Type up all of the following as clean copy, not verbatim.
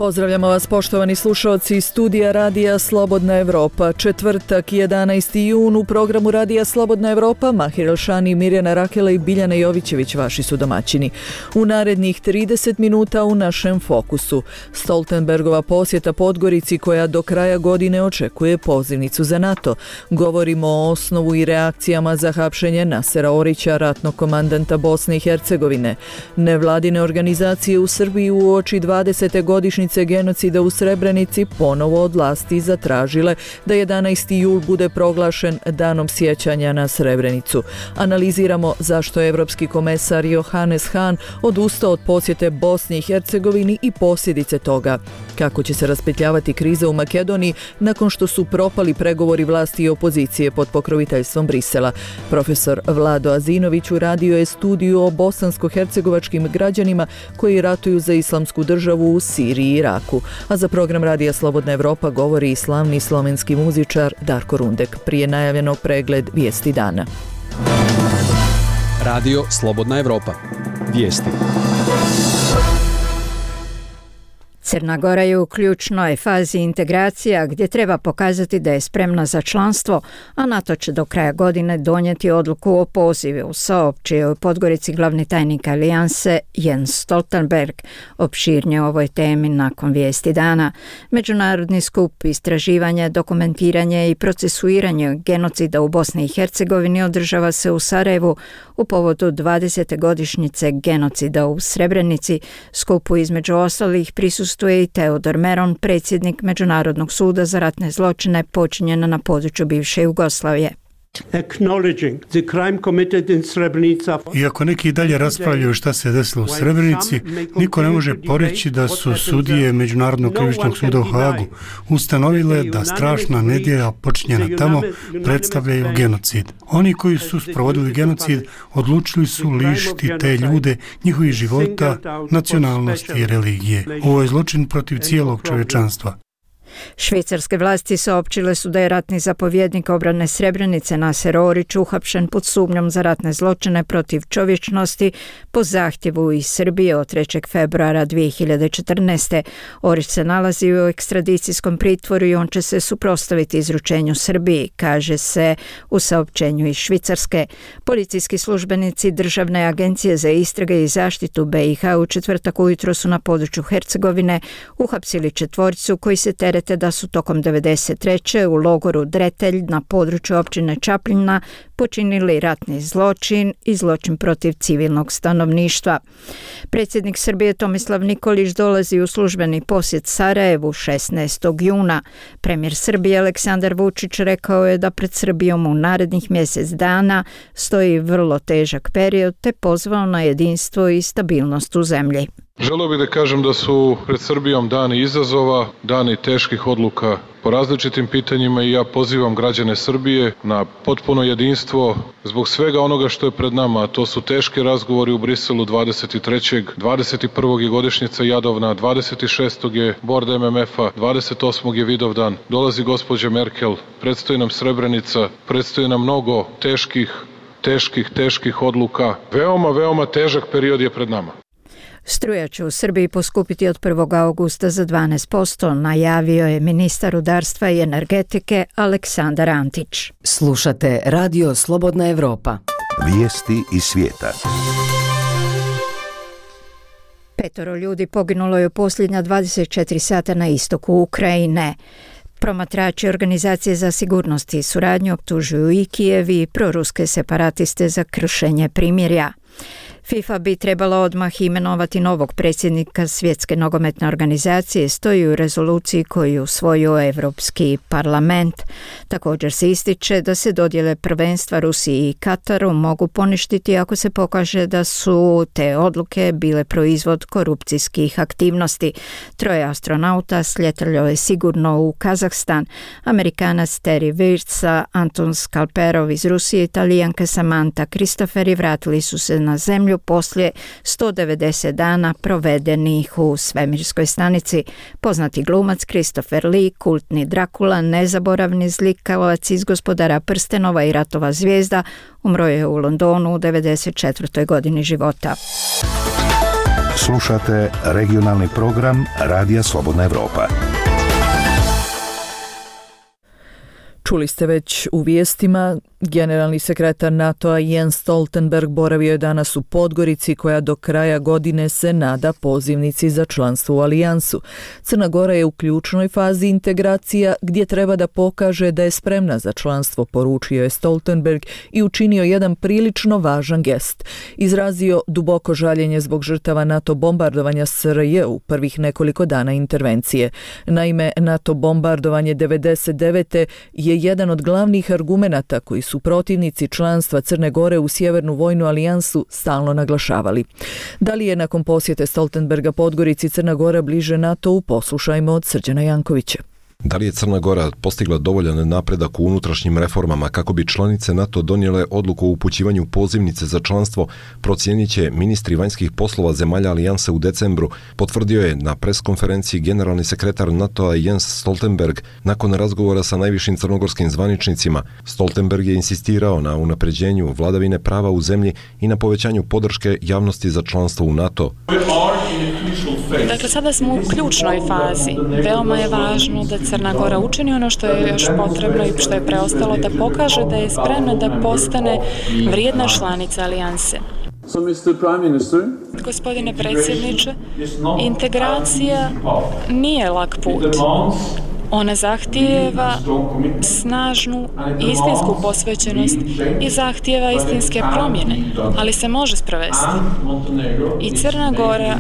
Pozdravljamo vas poštovani slušalci iz studija Radija Slobodna Evropa. Četvrtak, 11. jun, u programu Radija Slobodna Evropa Mahir Elšani, Mirjana Rakela i Biljana Jovićević vaši su domaćini. U narednih 30 minuta u našem fokusu Stoltenbergova posjeta Podgorici koja do kraja godine očekuje pozivnicu za NATO. Govorimo o osnovu i reakcijama za hapšenje Nasera Orića, ratnog komandanta Bosne i Hercegovine. Nevladine organizacije u Srbiji uoči 20. godišnjice genocida u Srebrenici ponovo od vlasti zatražile da 11. jul bude proglašen danom sjećanja na Srebrenicu. Analiziramo zašto je evropski komesar Johannes Hahn odustao od posjete Bosni i Hercegovini i posljedice toga. Kako će se raspetljavati kriza u Makedoniji nakon što su propali pregovori vlasti i opozicije pod pokroviteljstvom Brisela. Profesor Vlado Azinović uradio je studiju o bosansko-hercegovačkim građanima koji ratuju za islamsku državu u Siriji i Iraku. A za program Radija Slobodna Evropa govori i slavni slovenski muzičar Darko Rundek. Prije najavljenog pregled vijesti dana. Radio Slobodna Evropa. Vijesti. Crna Gora je u ključnoj fazi integracija gdje treba pokazati da je spremna za članstvo, a NATO će do kraja godine donijeti odluku o pozivu, saopćio je u Podgorici glavni tajnik alijanse Jens Stoltenberg. Opširnije o ovoj temi nakon vijesti dana. Međunarodni skup istraživanje, dokumentiranje i procesuiranje genocida u Bosni i Hercegovini održava se u Sarajevu u povodu 20. godišnjice genocida u Srebrenici. Skupu između ostalih prisustuje i Teodor Meron, predsjednik Međunarodnog suda za ratne zločine počinjene na području bivše Jugoslavije. Iako neki dalje raspravljaju šta se desilo u Srebrenici, niko ne može poreći da su sudije Međunarodnog krivičnog suda u Hagu ustanovile da strašna nedjelja počinjena tamo predstavljaju genocid. Oni koji su sprovodili genocid odlučili su lišiti te ljude njihovih života, nacionalnosti i religije. Ovo je zločin protiv cijelog čovječanstva. Švicarske vlasti saopćile su da je ratni zapovjednik obrane Srebrenice Naser Orić uhapšen pod sumnjom za ratne zločine protiv čovječnosti po zahtjevu iz Srbije od 3. februara 2014. Orić se nalazi u ekstradicijskom pritvoru i on će se suprotstaviti izručenju Srbiji, kaže se u saopćenju iz Švicarske. Policijski službenici Državne agencije za istrage i zaštitu BiH u četvrtak ujutro su na području Hercegovine uhapsili četvorcu koji se terete da su tokom 1993. u logoru Dretelj na području općine Čapljina počinili ratni zločin i zločin protiv civilnog stanovništva. Predsjednik Srbije Tomislav Nikolić dolazi u službeni posjet Sarajevu 16. juna. Premijer Srbije Aleksandar Vučić rekao je da pred Srbijom u narednih mjesec dana stoji vrlo težak period te pozvao na jedinstvo i stabilnost u zemlji. Želeo bih da kažem da su pred Srbijom dani izazova, dani teških odluka po različitim pitanjima i ja pozivam građane Srbije na potpuno jedinstvo zbog svega onoga što je pred nama, a to su teški razgovori u Briselu 23. 21. je godišnjica Jadovna, 26. je bord MMF-a, 28. je Vidovdan, dolazi gospođa Merkel, predstoji nam Srebrenica, predstoji nam mnogo teških odluka. Veoma težak period je pred nama. Struja će u Srbiji poskupiti od 1. augusta za 12%, najavio je ministar rudarstva i energetike Aleksandar Antić. Slušate Radio Slobodna Evropa. Vijesti iz svijeta. 5 ljudi poginulo je u posljednja 24 sata na istoku Ukrajine. Promatrači Organizacije za sigurnost i suradnju optužuju i Kijev i proruske separatiste za kršenje primirja. FIFA bi trebala odmah imenovati novog predsjednika Svjetske nogometne organizacije, stoji u rezoluciji koju je usvojio Europski parlament. Također se ističe da se dodjele prvenstva Rusiji i Kataru mogu poništiti ako se pokaže da su te odluke bile proizvod korupcijskih aktivnosti. 3 astronauta sljetalo je sigurno u Kazahstan. Amerikanac Terry Virtsa, Anton Skalperov iz Rusije, Italijanka Samantha Kristoferi vratili su se na zemlju poslije 190 dana provedenih u svemirskoj stanici. Poznati glumac Christopher Lee, kultni Drakula, nezaboravni zlikavac iz Gospodara prstenova i Ratova zvijezda, umro je u Londonu u 94. godini života. Slušate regionalni program Radija Slobodna Evropa. Čuli ste već u vijestima, generalni sekretar NATO-a Jens Stoltenberg boravio je danas u Podgorici koja do kraja godine se nada pozivnici za članstvo u alijansu. Crna Gora je u ključnoj fazi integracija gdje treba da pokaže da je spremna za članstvo, poručio je Stoltenberg i učinio jedan prilično važan gest. Izrazio duboko žaljenje zbog žrtava NATO bombardovanja SRJ u prvih nekoliko dana intervencije. Naime, NATO bombardovanje 1999. je jedan od glavnih argumenata koji su protivnici članstva Crne Gore u Sjevernu vojnu alijansu stalno naglašavali. Da li je nakon posjete Stoltenberga Podgorici Crna Gora bliže NATO-u, poslušajmo od Srđana Jankovića. Da li je Crna Gora postigla dovoljan napredak u unutrašnjim reformama kako bi članice NATO donijele odluku o upućivanju pozivnice za članstvo, procijenit će ministri vanjskih poslova zemalja alijanse u decembru, potvrdio je na preskonferenciji generalni sekretar NATO-a Jens Stoltenberg nakon razgovora sa najvišim crnogorskim zvaničnicima. Stoltenberg je insistirao na unapređenju vladavine prava u zemlji i na povećanju podrške javnosti za članstvo u NATO. Dakle, sada smo u ključnoj fazi. Veoma je važno da Crna Gora učini ono što je još potrebno i što je preostalo, da pokaže da je spremna da postane vrijedna članica alijanse. Gospodine predsjedniče, integracija nije lak put. Ona zahtijeva snažnu istinsku posvećenost i zahtijeva istinske promjene, ali se može sprovesti. I Crna Gora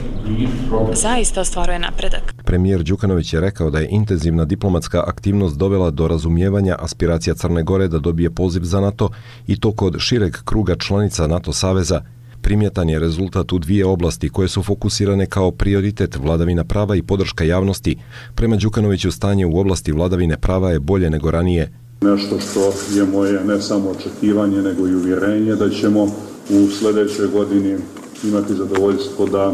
zaista ostvaruje napredak. Premijer Đukanović je rekao da je intenzivna diplomatska aktivnost dovela do razumijevanja aspiracija Crne Gore da dobije poziv za NATO i to kod šireg kruga članica NATO saveza. Primjetan je rezultat u dvije oblasti koje su fokusirane kao prioritet: vladavina prava i podrška javnosti. Prema Đukanoviću stanje u oblasti vladavine prava je bolje nego ranije. Nešto što je moje ne samo očekivanje nego i uvjerenje da ćemo u sljedećoj godini imati zadovoljstvo da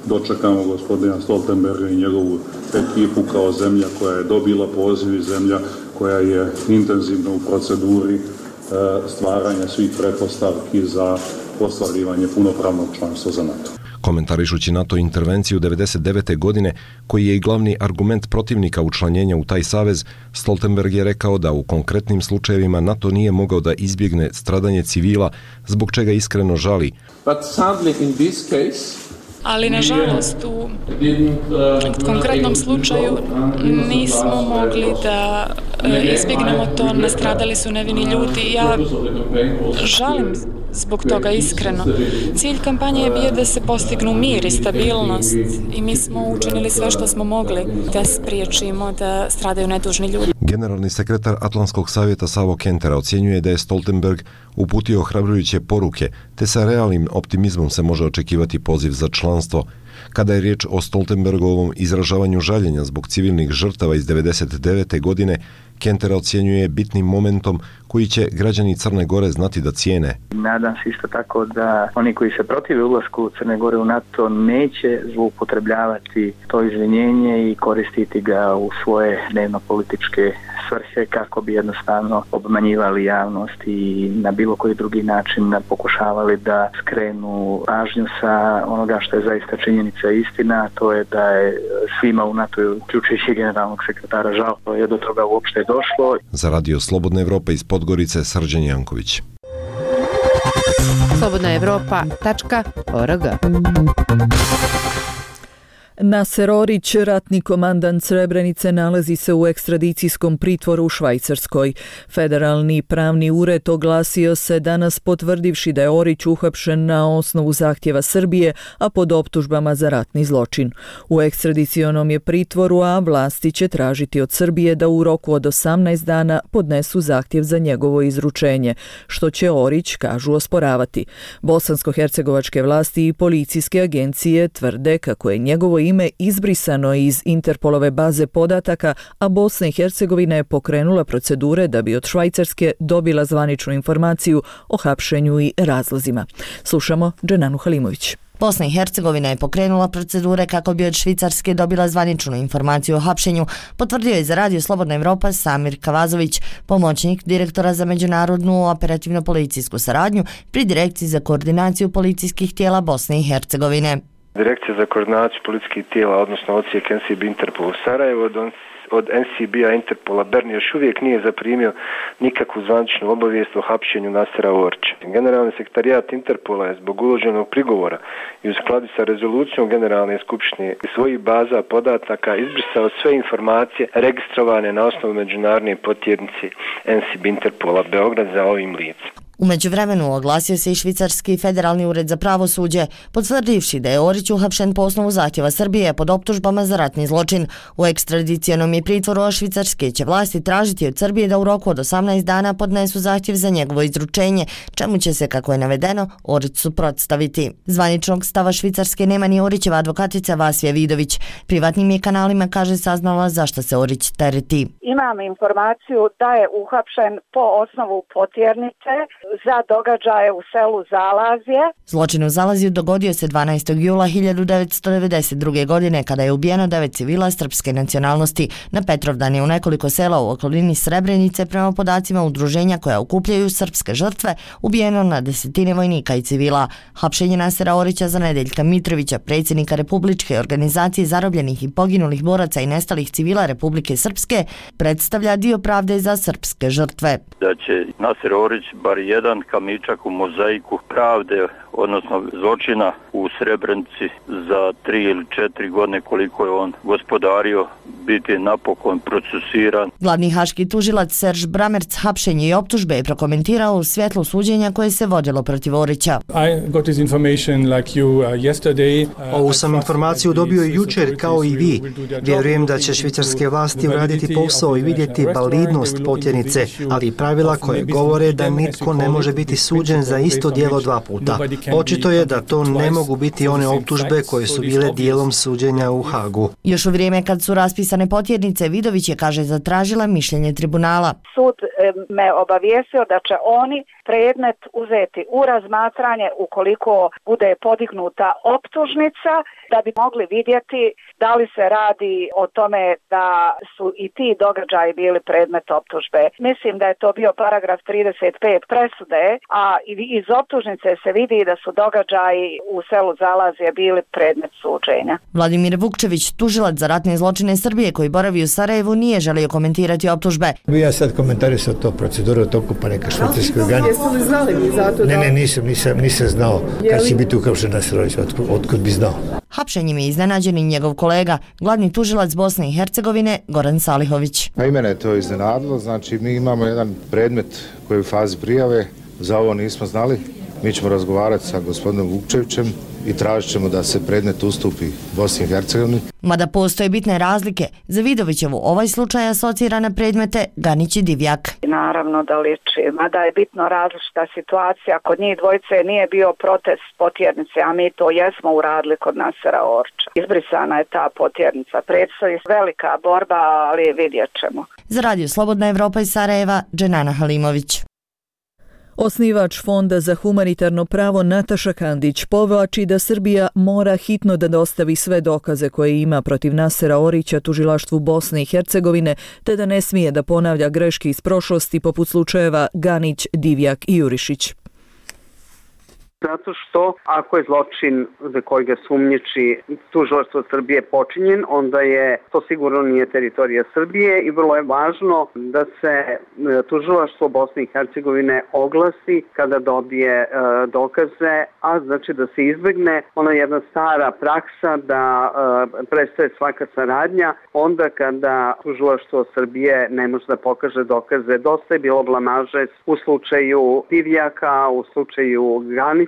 dočekamo gospodina Stoltenberga i njegovu ekipu kao zemlja koja je dobila poziv i zemlja koja je intenzivno u proceduri stvaranja svih pretpostavki za ostvarivanje punopravnog članstva za NATO. Komentarišući NATO intervenciju 1999. godine, koji je i glavni argument protivnika učlanjenja u taj savez, Stoltenberg je rekao da u konkretnim slučajevima NATO nije mogao da izbjegne stradanje civila, zbog čega iskreno žali. Ali nažalost u konkretnom slučaju nismo mogli da izbjegnemo to, nastradali su nevini ljudi. Ja žalim zbog toga iskreno. Cilj kampanje je bio da se postignu mir i stabilnost i mi smo učinili sve što smo mogli da spriječimo da stradaju nedužni ljudi. Generalni sekretar Atlantskog savjeta Savo Kentera ocjenjuje da je Stoltenberg uputio ohrabrujuće poruke, te sa realnim optimizmom se može očekivati poziv za članstvo. Kada je riječ o Stoltenbergovom izražavanju žaljenja zbog civilnih žrtava iz 1999. godine, Kentera ocjenjuje bitnim momentom koji će građani Crne Gore znati da cijene. Nadam se isto tako da oni koji se protive ulasku Crne Gore u NATO neće zloupotrebljavati to izvinjenje i koristiti ga u svoje dnevno-političke svrhe kako bi jednostavno obmanjivali javnost i na bilo koji drugi način pokušavali da skrenu pažnju sa onoga što je zaista činjenica i istina, to je da je svima u NATO, uključujući generalnog sekretara, žao je do toga uopšte došlo. Za Radio Slobodna Evropa iz Podgorice, Srđan Janković. slobodnaevropa.org. Naser Orić, ratni komandant Srebrenice, nalazi se u ekstradicijskom pritvoru u Švajcarskoj. Federalni pravni ured oglasio se danas potvrdivši da je Orić uhapšen na osnovu zahtjeva Srbije, a pod optužbama za ratni zločin. U ekstradicionom je pritvoru, a vlasti će tražiti od Srbije da u roku od 18 dana podnesu zahtjev za njegovo izručenje, što će Orić, kažu, osporavati. Bosansko-hercegovačke vlasti i policijske agencije tvrde kako je njegovo ime izbrisano iz Interpolove baze podataka, a Bosna i Hercegovina je pokrenula procedure da bi od Švajcarske dobila zvaničnu informaciju o hapšenju i razlozima. Slušamo Dženanu Halimović. Bosna i Hercegovina je pokrenula procedure kako bi od Švicarske dobila zvaničnu informaciju o hapšenju, potvrdio je za Radio Slobodna Evropa Samir Kavazović, pomoćnik direktora za međunarodnu operativno-policijsku saradnju pri Direkciji za koordinaciju policijskih tijela Bosne i Hercegovine. Direkcija za koordinaciju policijskih tijela, odnosno odsjek NCB Interpol u Sarajevo, od NCB-a Interpola Bern još uvijek nije zaprimio nikakvu zvaničnu obavijest o hapšenju Nasera Orića. Generalni sekretarijat Interpola je zbog uloženog prigovora i u skladu sa rezolucijom Generalne skupštine iz svojih baza podataka izbrisao sve informacije registrovane na osnovu međunarodne potjernice NCB Interpola Beograd za ovim licem. U međuvremenu oglasio se i Švicarski federalni ured za pravosuđe, potvrdivši da je Orić uhapšen po osnovu zahtjeva Srbije pod optužbama za ratni zločin. U ekstradicionom je pritvoru, a švicarske će vlasti tražiti od Srbije da u roku od 18 dana podnesu zahtjev za njegovo izručenje, čemu će se, kako je navedeno, Orić suprotstaviti. Zvaničnog stava Švicarske nema ni Orićeva advokatica Vasija Vidović. Privatnim je kanalima, kaže, saznala zašto se Orić tereti. Imam informaciju da je uhapšen po osnovu potjernice za događaje u selu Zalazje. Zločin u Zalazju dogodio se 12. jula 1992. godine kada je ubijeno 9 civila srpske nacionalnosti. Na Petrovdan je u nekoliko sela u okolini Srebrenice, prema podacima udruženja koja okupljaju srpske žrtve, ubijeno na desetine vojnika i civila. Hapšenje Nasera Orića za Nedeljka Mitrovića, predsjednika Republičke organizacije zarobljenih i poginulih boraca i nestalih civila Republike Srpske, predstavlja dio pravde za srpske žrtve. Da će Naser Orić bar jedan kamičak u mozaiku pravde, odnosno zločina u Srebrenici za 3 ili 4 godine koliko je on gospodario, biti napokon procesuiran. Glavni haški tužilac Serž Bramerc hapšenje i optužbe je prokomentirao u svjetlu suđenja koje se vodilo protiv Orića. Ovu sam informaciju dobio i jučer kao i vi. Vjerujem da će švicarske vlasti uraditi posao i vidjeti validnost potjernice, ali pravila koje govore da nitko ne može biti suđen za isto djelo 2 puta. Očito je da to ne mogu biti one optužbe koje su bile dijelom suđenja u Hagu. Još u vrijeme kad su raspisane potjernice, Vidović je, kaže, zatražila mišljenje tribunala. Sud me obavijestio da će oni predmet uzeti u razmatranje ukoliko bude podignuta optužnica, da bi mogli vidjeti da li se radi o tome da su i ti događaji bili predmet optužbe. Mislim da je to bio paragraf 35 presude, a iz optužnice se vidi da su događaji u selu Zalazje bili predmet suđenja. Vladimir Vukčević, tužilac za ratne zločine Srbije koji boravi u Sarajevu, nije želio komentirati optužbe. Ja sad komentarisao to proceduru u toku, pa neka švicarski organi. Jeste li znali vi za to? Ne, nisam znao kad će biti uhapšen Naser Orić, otkud bi znao. Hapšenjem je iznenađen i njegov kolega, glavni tužilac Bosne i Hercegovine, Goran Salihović. I mene je to iznenadilo, znači mi imamo jedan predmet koji je u fazi prijave, za ovo nismo znali. Mi ćemo razgovarati sa gospodinom Vukčevićem i tražit ćemo da se predmet ustupi Bosni i Hercegovini. Mada postoje bitne razlike, za Vidovićevu ovaj slučaj asocira na predmete Ganić i Divjak. Naravno da liči, mada je bitno različita situacija. Kod njih dvojice nije bio protest potjernice, a mi to jesmo uradili kod Nasera Orića. Izbrisana je ta potjernica. Predstoji velika borba, ali vidjet ćemo. Za Radio Slobodna Evropa iz Sarajeva, Dženana Halimović. Osnivač Fonda za humanitarno pravo Nataša Kandić povlači da Srbija mora hitno da dostavi sve dokaze koje ima protiv Nasera Orića tužilaštvu Bosne i Hercegovine, te da ne smije da ponavlja greške iz prošlosti poput slučajeva Ganić, Divjak i Jurišić. Zato što ako je zločin za koji ga sumnjiči tužilaštvo Srbije počinjen, onda je to sigurno nije teritorija Srbije i vrlo je važno da se tužilaštvo Bosne i Hercegovine oglasi kada dobije dokaze, a znači da se izbegne ona jedna stara praksa da prestaje svaka saradnja onda kada tužilaštvo Srbije ne može da pokaže dokaze. Dosta je bilo blamaže u slučaju Divjaka, u slučaju Ganića,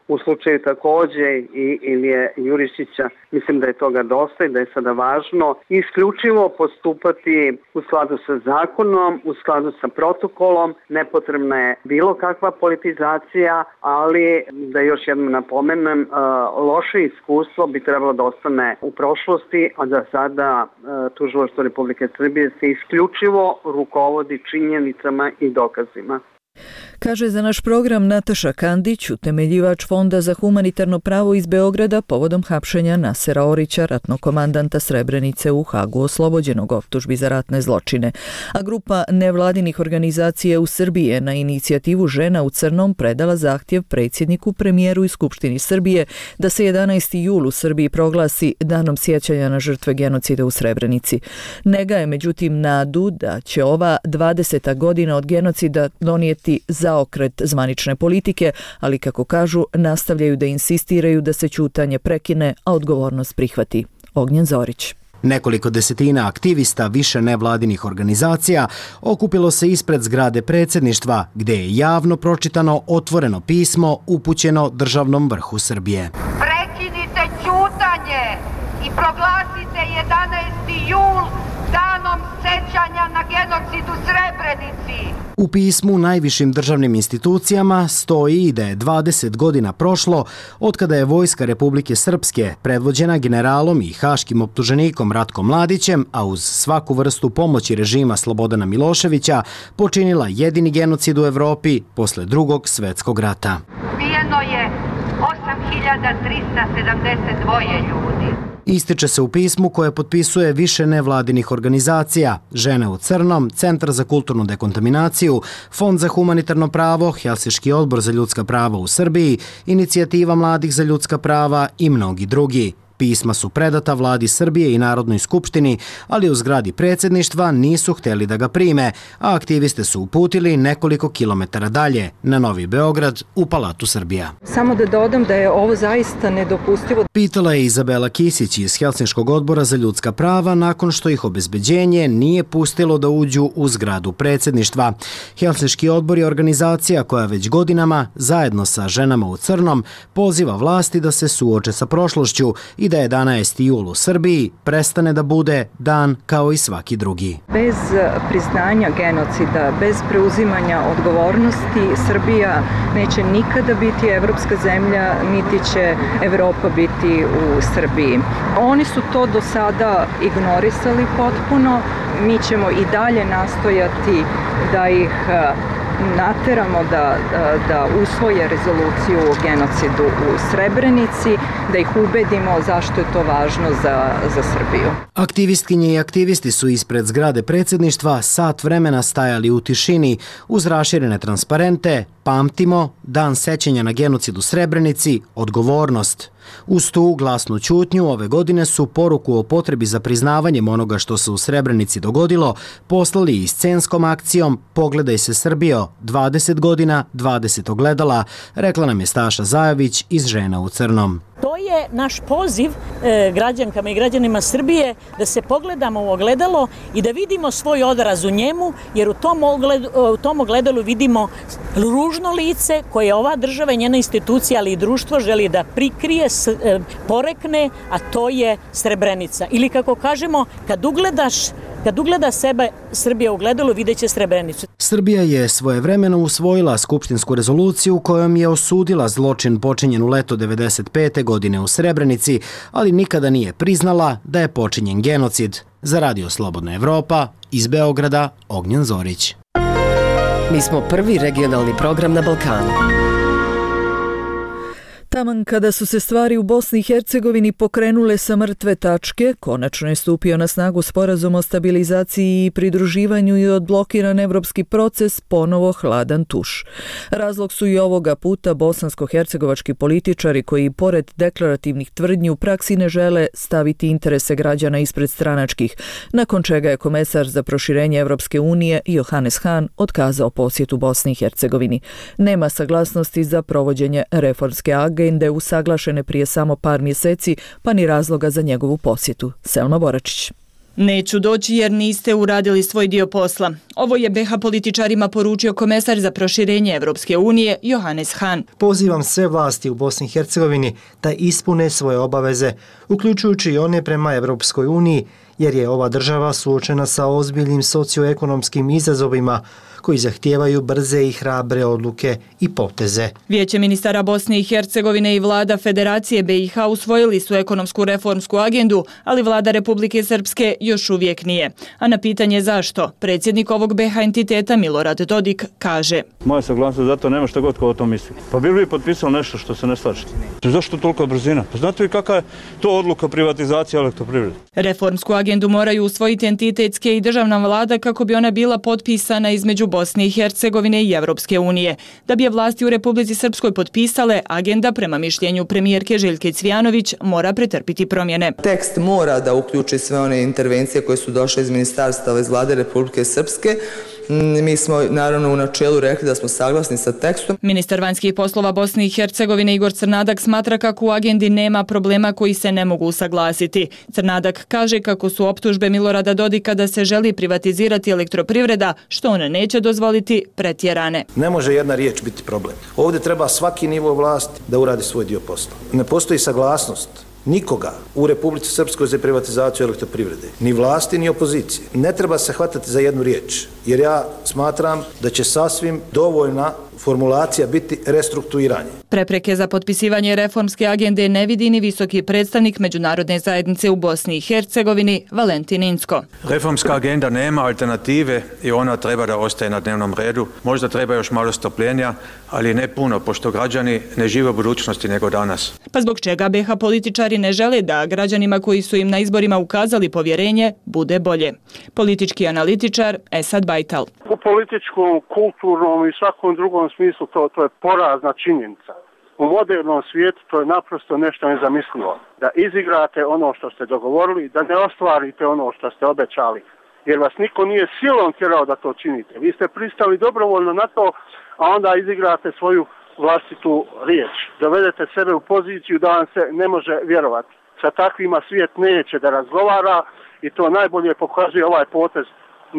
u slučaju takođe i Ilije Jurišića. Mislim da je toga dosta i da je sada važno isključivo postupati u skladu sa zakonom, u skladu sa protokolom. Nepotrebna je bilo kakva politizacija, ali da još jednom napomenem, loše iskustvo bi trebalo da ostane u prošlosti, a da sada tužilaštvo Republike Srbije se isključivo rukovodi činjenicama i dokazima. Kaže za naš program Nataša Kandić, utemeljivač Fonda za humanitarno pravo iz Beograda povodom hapšenja Nasera Orića, ratnog komandanta Srebrenice u Hagu, oslobođenog optužbi za ratne zločine. A grupa nevladinih organizacija u Srbiji je na inicijativu Žena u crnom predala zahtjev predsjedniku, premijeru i Skupštini Srbije da se 11. jul u Srbiji proglasi danom sjećanja na žrtve genocida u Srebrenici. Ne gaje međutim nadu da će ova 20. godina od genocida donijeti zaokret zvanične politike, ali kako kažu, nastavljaju da insistiraju da se ćutanje prekine, a odgovornost prihvati. Ognjen Zorić. Nekoliko desetina aktivista više nevladinih organizacija okupilo se ispred zgrade predsjedništva, gdje je javno pročitano otvoreno pismo upućeno državnom vrhu Srbije. Prekinite ćutanje i proglasite 11. jul danom sećanja na genocid u Srebrenici. U pismu najvišim državnim institucijama stoji da je 20 godina prošlo od kada je Vojska Republike Srpske, predvođena generalom i haškim optuženikom Ratkom Mladićem, a uz svaku vrstu pomoći režima Slobodana Miloševića, počinila jedini genocid u Evropi posle Drugog svjetskog rata. Ubijeno je 8372 ljudi. Ističe se u pismu koje potpisuje više nevladinih organizacija, Žene u crnom, Centar za kulturnu dekontaminaciju, Fond za humanitarno pravo, Helsinški odbor za ljudska prava u Srbiji, Inicijativa mladih za ljudska prava i mnogi drugi. Pisma su predata vladi Srbije i Narodnoj skupštini, ali u zgradi predsjedništva nisu htjeli da ga prime, a aktiviste su uputili nekoliko kilometara dalje, na Novi Beograd, u Palatu Srbija. Samo da dodam da je ovo zaista nedopustivo. Pitala je Izabela Kisić iz Helsinškog odbora za ljudska prava nakon što ih obezbeđenje nije pustilo da uđu u zgradu predsjedništva. Helsinški odbor je organizacija koja već godinama, zajedno sa Ženama u crnom, poziva vlasti da se suoče sa prošlošću i da 11. jul u Srbiji prestane da bude dan kao i svaki drugi. Bez priznanja genocida, bez preuzimanja odgovornosti, Srbija neće nikada biti evropska zemlja, niti će Evropa biti u Srbiji. Oni su to do sada ignorisali potpuno. Mi ćemo i dalje nastojati da ih nateramo da usvoje rezoluciju o genocidu u Srebrenici, da ih ubedimo zašto je to važno za Srbiju. Aktivistkinje i aktivisti su ispred zgrade predsjedništva sat vremena stajali u tišini uz raširene transparente Pamtimo, dan sećanja na genocid u Srebrenici, odgovornost. Uz tu glasnu ćutnju ove godine su poruku o potrebi za priznavanjem onoga što se u Srebrenici dogodilo poslali i scenskom akcijom Pogledaj se Srbijo, 20 godina, 20 ogledala, rekla nam je Staša Zajović iz Žena u crnom. To je naš poziv građankama i građanima Srbije da se pogledamo u ogledalo i da vidimo svoj odraz u njemu, jer u tom ogledalu vidimo ružno lice koje ova država i njena institucija, ali i društvo želi da prikrije, porekne, a to je Srebrenica. Ili kako kažemo, kad ugleda sebe Srbija u ogledalu, vidjet će Srebrenicu. Srbija je svojevremeno usvojila skupštinsku rezoluciju kojom je osudila zločin počinjen u leto 1995. godine u Srebrenici, ali nikada nije priznala da je počinjen genocid. Za Radio Slobodna Evropa, iz Beograda, Ognjen Zorić. Mi smo prvi regionalni program na Balkanu. Taman kada su se stvari u Bosni i Hercegovini pokrenule sa mrtve tačke, konačno je stupio na snagu sporazum o stabilizaciji i pridruživanju i odblokiran evropski proces ponovo hladan tuš. Razlog su i ovoga puta bosansko-hercegovački političari koji pored deklarativnih tvrdnji u praksi ne žele staviti interese građana ispred stranačkih, nakon čega je komesar za proširenje Evropske unije Johannes Hahn otkazao posjetu Bosni i Hercegovini. Nema saglasnosti za provođenje reformske agende usaglašene prije samo par mjeseci, pa ni razloga za njegovu posjetu. Selma Boračić. Neću doći jer niste uradili svoj dio posla. Ovo je BiH političarima poručio komesar za proširenje Evropske unije Johannes Hahn. Pozivam sve vlasti u Bosni i Hercegovini da ispune svoje obaveze, uključujući i one prema Evropskoj uniji, jer je ova država suočena sa ozbiljnim socioekonomskim izazovima koji zahtijevaju brze i hrabre odluke i poteze. Vijeće ministara Bosne i Hercegovine i vlada Federacije BiH usvojili su ekonomsku reformsku agendu, ali vlada Republike Srpske još uvijek nije. A na pitanje zašto, predsjednik ovog BiH entiteta Milorad Dodik kaže: Moja saglasnost za to nema šta god ko o tom misli. Pa bi li potpisali nešto što se ne slaže? Zašto tolika brzina? Pa znate li kakva je to odluka privatizacije elektroprivrede? Reformsku agendu moraju usvojiti entitetske i državna vlada kako bi ona bila potpisana između Bosne i Hercegovine i Evropske unije. Da bi je vlasti u Republici Srpskoj potpisale, agenda prema mišljenju premijerke Željke Cvijanović mora pretrpiti promjene. Tekst mora da uključi sve one intervencije koje su došle iz ministarstava iz vlade Republike Srpske. Mi smo naravno u načelu rekli da smo saglasni sa tekstom. Ministar vanjskih poslova Bosne i Hercegovine Igor Crnadak smatra kako u agendi nema problema koji se ne mogu usaglasiti. Crnadak kaže kako su optužbe Milorada Dodika da se želi privatizirati elektroprivreda, što on neće dozvoliti, pretjerane. Ne može jedna riječ biti problem. Ovdje treba svaki nivo vlasti da uradi svoj dio posla. Ne postoji saglasnost nikoga u Republici Srpskoj za privatizaciju elektroprivrede, ni vlasti ni opozicije. Ne treba se hvatati za jednu riječ, jer ja smatram da će sasvim dovoljna formulacija biti restrukturiranje. Prepreke za potpisivanje reformske agende ne vidi ni visoki predstavnik međunarodne zajednice u Bosni i Hercegovini Valentin Inzko. Reformska agenda nema alternative i ona treba da ostaje na dnevnom redu. Možda treba još malo strpljenja, ali ne puno, pošto građani ne žive u budućnosti nego danas. Pa zbog čega BiH političari ne žele da građanima koji su im na izborima ukazali povjerenje bude bolje? Politički analitičar Esad Bajtal. U političkom, kulturnom i svakom drugom smislu to je porazna činjenica. U modernom svijetu to je naprosto nešto nezamislivo. Da izigrate ono što ste dogovorili, da ne ostvarite ono što ste obećali. Jer vas niko nije silom tjerao da to činite. Vi ste pristali dobrovoljno na to, a onda izigrate svoju vlastitu riječ. Dovedete sebe u poziciju da vam se ne može vjerovati. Sa takvima svijet neće da razgovara i to najbolje pokazuje ovaj potez.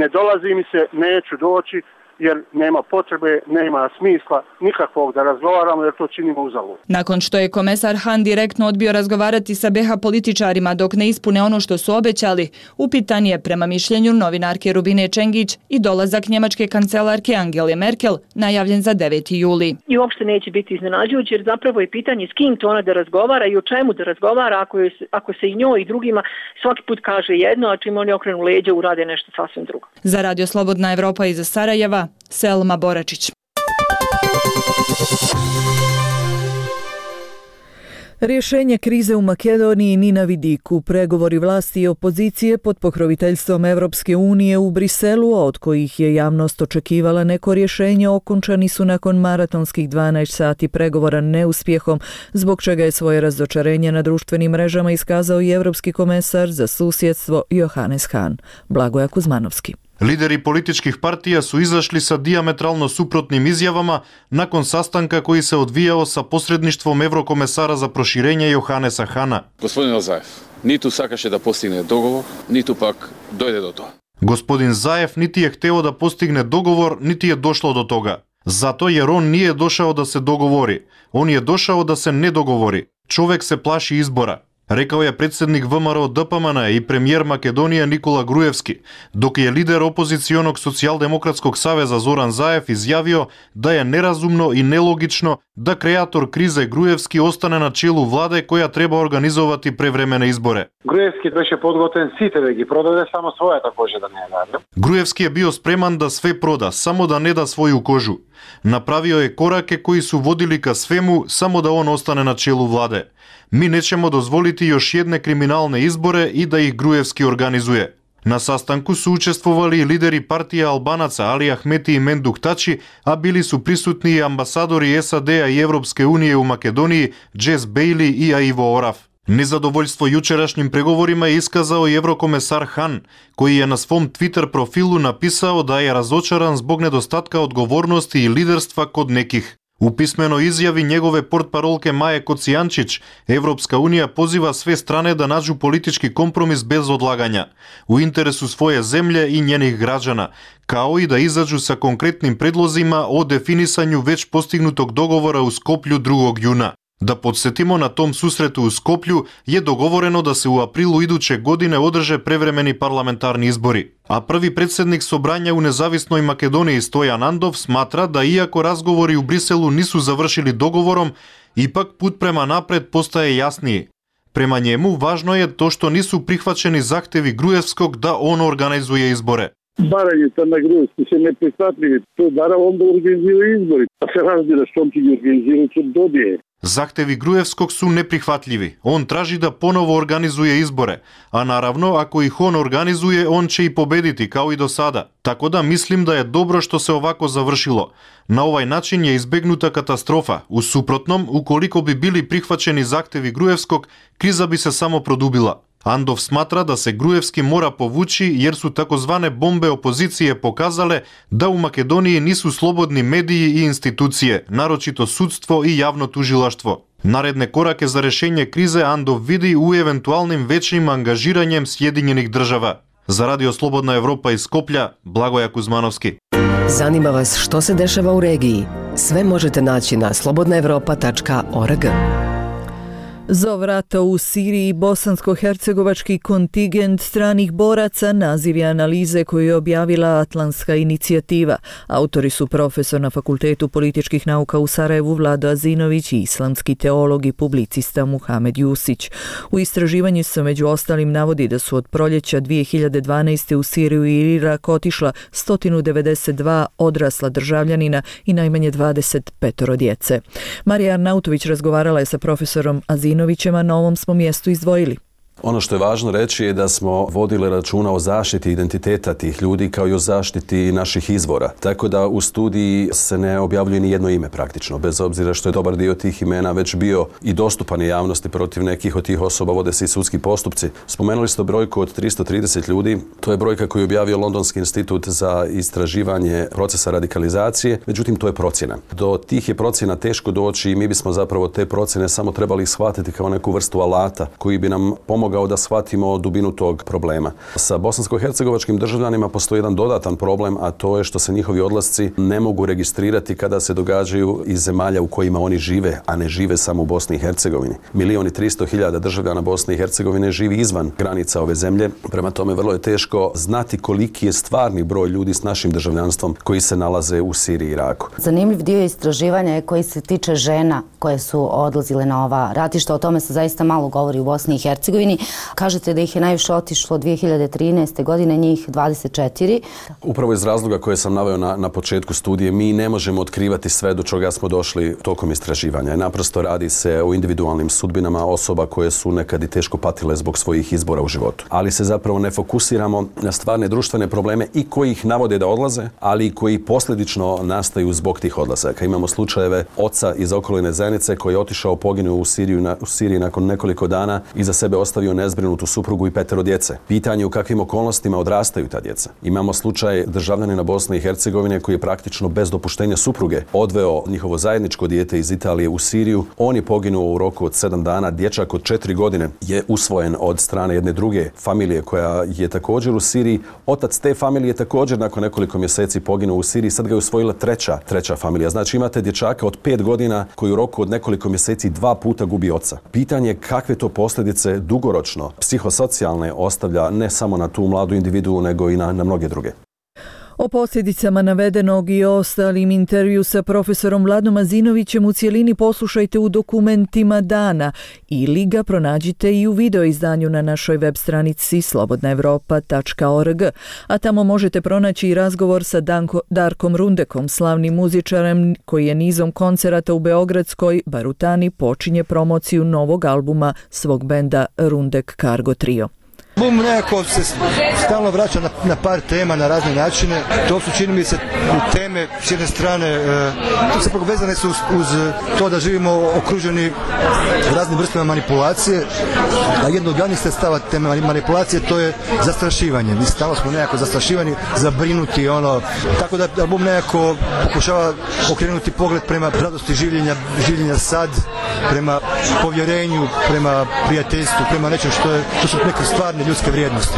Ne dolazi mi se, neću doći, jer nema potrebe, nema smisla nikakvog da razgovaramo jer to činimo uzalud. Nakon što je komesar Han direktno odbio razgovarati sa BiH političarima dok ne ispune ono što su obećali, upitan je prema mišljenju novinarke Rubine Čengić i dolazak njemačke kancelarke Angele Merkel najavljen za 9. juli. I uopšte neće biti iznenađujuće jer zapravo je pitanje s kim to ona da razgovara i o čemu da razgovara ako se i njoj i drugima svaki put kaže jedno, a čim oni okrenu leđa urade nešto sasvim drugo. Za Radio Slobodna Evropa iz Sarajeva, Selma Boračić. Rješenje krize u Makedoniji ni na vidiku. Pregovori vlasti i opozicije pod pokroviteljstvom Evropske unije u Briselu, od kojih je javnost očekivala neko rješenje, okončani su nakon maratonskih 12 sati pregovora neuspjehom, zbog čega je svoje razočarenje na društvenim mrežama iskazao i Evropski komesar za susjedstvo Johannes Hahn. Blagoja Kuzmanovski. Lideri političkih partija su izašli sa dijametralno suprotnim izjavama nakon sastanka koji se odvijao sa posredništvom Evrokomesara za proširenje Johannesa Hahna. Gospodin Zaev, niti sakaše da postigne dogovor, niti pak dojde do toga. Gospodin Zaev niti je hteo da postigne dogovor, niti je došlo do toga. Zato jer on nije došao da se dogovori. On je došao da se ne dogovori. Čovek se plaši izbora. Rekao je predsjednik VMRO DPMN i premijer Makedonije Nikola Grujevski, dok je lider opozicionog socijaldemokratskog saveza Zoran Zaev izjavio da je nerazumno i nelogično da kreator krize Grujevski ostane na čelu vlade koja treba organizovati prevremene izbore. Grujevski беше подготвен сите да ги продаде, само својата кожа да не даде. Grujevski je bio spreman da sve proda, samo da ne da svoju kožu. Napravio je korake koji su vodili ka svemu, samo da on ostane na čelu vlade. Mi nećemo dozvoliti još jedne kriminalne izbore i da ih Grujevski organizuje. Na sastanku su učestvovali i lideri partija Albanaca Ali Ahmeti i Menduk Tači, a bili su prisutni i ambasadori SAD-a i Evropske unije u Makedoniji, Jess Bailey i Ivo Oraf. Nezadovoljstvo jučerašnjim pregovorima je iskazao i Evrokomesar Hahn, koji je na svom Twitter profilu napisao da je razočaran zbog nedostatka odgovornosti i liderstva kod nekih. U pismenoj izjavi njegove portparolke Maje Kocijančić, Evropska unija poziva sve strane da nađu politički kompromis bez odlaganja, u interesu svoje zemlje i njenih građana, kao i da izađu sa konkretnim predlozima o definisanju već postignutog dogovora u Skoplju 2. juna. Da podsjetimo, na tom susretu u Skoplju je dogovoreno da se u aprilu iduće godine održe prevremeni parlamentarni izbori. A prvi predsjednik Sobranja u nezavisnoj Makedoniji Stojan Andov smatra da iako razgovori u Briselu nisu završili dogovorom, ipak put prema napred postaje jasniji. Prema njemu, važno je to što nisu prihvaćeni zahtevi Gruevskog da on organizuje izbore. Барањето на Груевски се неприхватливи. Тој бара он да организира избори. А се разбира што ќе ги организира, ќе добие. Zahtevi Gruevskog su neprihvatljivi. On traži da ponovo organizuje izbore, a naravno ako ih on organizuje, on će i pobediti kao i do sada. Tako da mislim da je dobro što se ovako završilo. Na ovaj način je izbegnuta katastrofa. U suprotnom, ukoliko bi bili prihvaćeni zahtevi Gruevskog, kriza bi se samo produbila. Andov smatra da se Gruevski mora povući jer su takozvane bombe opozicije pokazale da u Makedoniji nisu slobodni mediji i institucije, naročito sudstvo i javno tužilaštvo. Naredne korake za rešenje krize Andov vidi u eventualnim većim angažiranjem Sjedinjenih država. Za Radio Slobodna Evropa iz Skoplja, Blagoja Kuzmanovski. Zanima vas što se dešava u regiji? Sve možete naći na slobodnaevropa.org. Zov rata u Siriji bosansko-hercegovački kontingent stranih boraca naziv je analize koju je objavila Atlantska inicijativa. Autori su profesor na Fakultetu političkih nauka u Sarajevu Vlado Azinović i islamski teolog i publicista Muhamed Jusić. U istraživanju se među ostalim navodi da su od proljeća 2012. u Siriju i Irak otišla 192 odrasla državljanina i najmanje 25 djece. Marija Arnautović razgovarala je sa profesorom Azinovićem, a na ovom smo mjestu izdvojili. Ono što je važno reći je da smo vodili računa o zaštiti identiteta tih ljudi kao i o zaštiti naših izvora. Tako da u studiji se ne objavljuje ni jedno ime praktično, bez obzira što je dobar dio tih imena već bio i dostupan javnosti. Protiv nekih od tih osoba vode se i sudski postupci. Spomenuli ste brojku od 330 ljudi. To je brojka koju je objavio Londonski institut za istraživanje procesa radikalizacije. Međutim, to je procjena. Do tih je procjena teško doći i mi bismo zapravo te procjene samo trebali shvatiti kao neku vrstu alata koji bi nam pomogao da shvatimo dubinu tog problema. Sa bosansko-hercegovačkim državljanima postoji jedan dodatan problem, a to je što se njihovi odlasci ne mogu registrirati kada se događaju iz zemalja u kojima oni žive, a ne žive samo u Bosni i Hercegovini. 1.300.000 državljana Bosne i Hercegovine živi izvan granica ove zemlje, prema tome vrlo je teško znati koliki je stvarni broj ljudi s našim državljanstvom koji se nalaze u Siriji i Iraku. Zanimljiv dio istraživanja je koji se tiče žena koje su odlazile na ova ratišta. O tome se zaista malo govori u Bosni i Hercegovini. Kažete da ih je najviše otišlo 2013. godine, njih 24. Upravo iz razloga koje sam naveo na početku studije, mi ne možemo otkrivati sve do čega smo došli tokom istraživanja. Naprosto radi se o individualnim sudbinama osoba koje su nekad i teško patile zbog svojih izbora u životu. Ali se zapravo ne fokusiramo na stvarne društvene probleme i koji ih navode da odlaze, ali i koji posljedično nastaju zbog tih odlazaka. Imamo slučajeve oca iz okoline zajednice koji je otišao, poginuo u Siriji nakon nekoliko dana i za sebe ostavio nezbrinutu suprugu i 5 djece. Pitanje u kakvim okolnostima odrastaju ta djeca. Imamo slučaj državljanina Bosne i Hercegovine koji je praktično bez dopuštenja supruge odveo njihovo zajedničko dijete iz Italije u Siriju. On je poginuo u roku od 7 dana. Dječak od 4 godine je usvojen od strane jedne druge familije koja je također u Siriji. Otac te familije također nakon nekoliko mjeseci poginuo u Siriji. Sad ga je usvojila treća familija. Znači imate dječaka od 5 godina koji u roku od nekoliko mjeseci 2 puta gubi oca. Pitanje je kakve to posljedice dugoročno psihosocijalne ostavlja ne samo na tu mladu individuu nego i na mnoge druge. O posljedicama navedenog i ostalim intervju sa profesorom Vladom Azinovićem u cijelini poslušajte u dokumentima dana ili ga pronađite i u video izdanju na našoj web stranici slobodnaevropa.org, a tamo možete pronaći i razgovor sa Darkom Rundekom, slavnim muzičarem koji je nizom koncerata u beogradskoj Barutani počinje promociju novog albuma svog benda Rundek Cargo Trio. Album nekako se stalno vraća na par tema na razne načine. To su, čini mi se, teme s jedne strane to se povezane su uz to da živimo okruženi raznim vrstama manipulacije, a jedno od glavnih sredstava te manipulacije to je zastrašivanje. Mi stalno smo nekako zastrašivani, zabrinuti, tako da album nekako pokušava okrenuti pogled prema radosti življenja sad, prema povjerenju, prema prijateljstvu, prema nečem što su neke stvarne ljudske vrijednosti.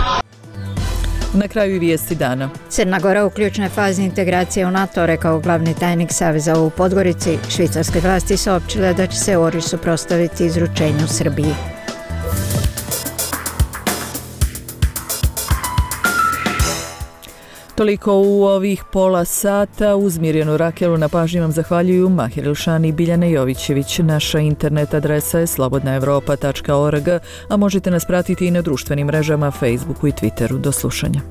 Na kraju i vijesti dana. Crna Gora u ključnoj fazi integracije u NATO, rekao glavni tajnik Saveza u Podgorici. Švicarske vlasti saopćile da će se ORI suprotstaviti izručenju Srbiji. Toliko u ovih pola sata. Uz Mirjanu Rakelu na pažnji vam zahvaljuju Mahir Elšani i Biljana Jovićević. Naša internet adresa je slobodnaevropa.org, a možete nas pratiti i na društvenim mrežama, Facebooku i Twitteru. Do slušanja.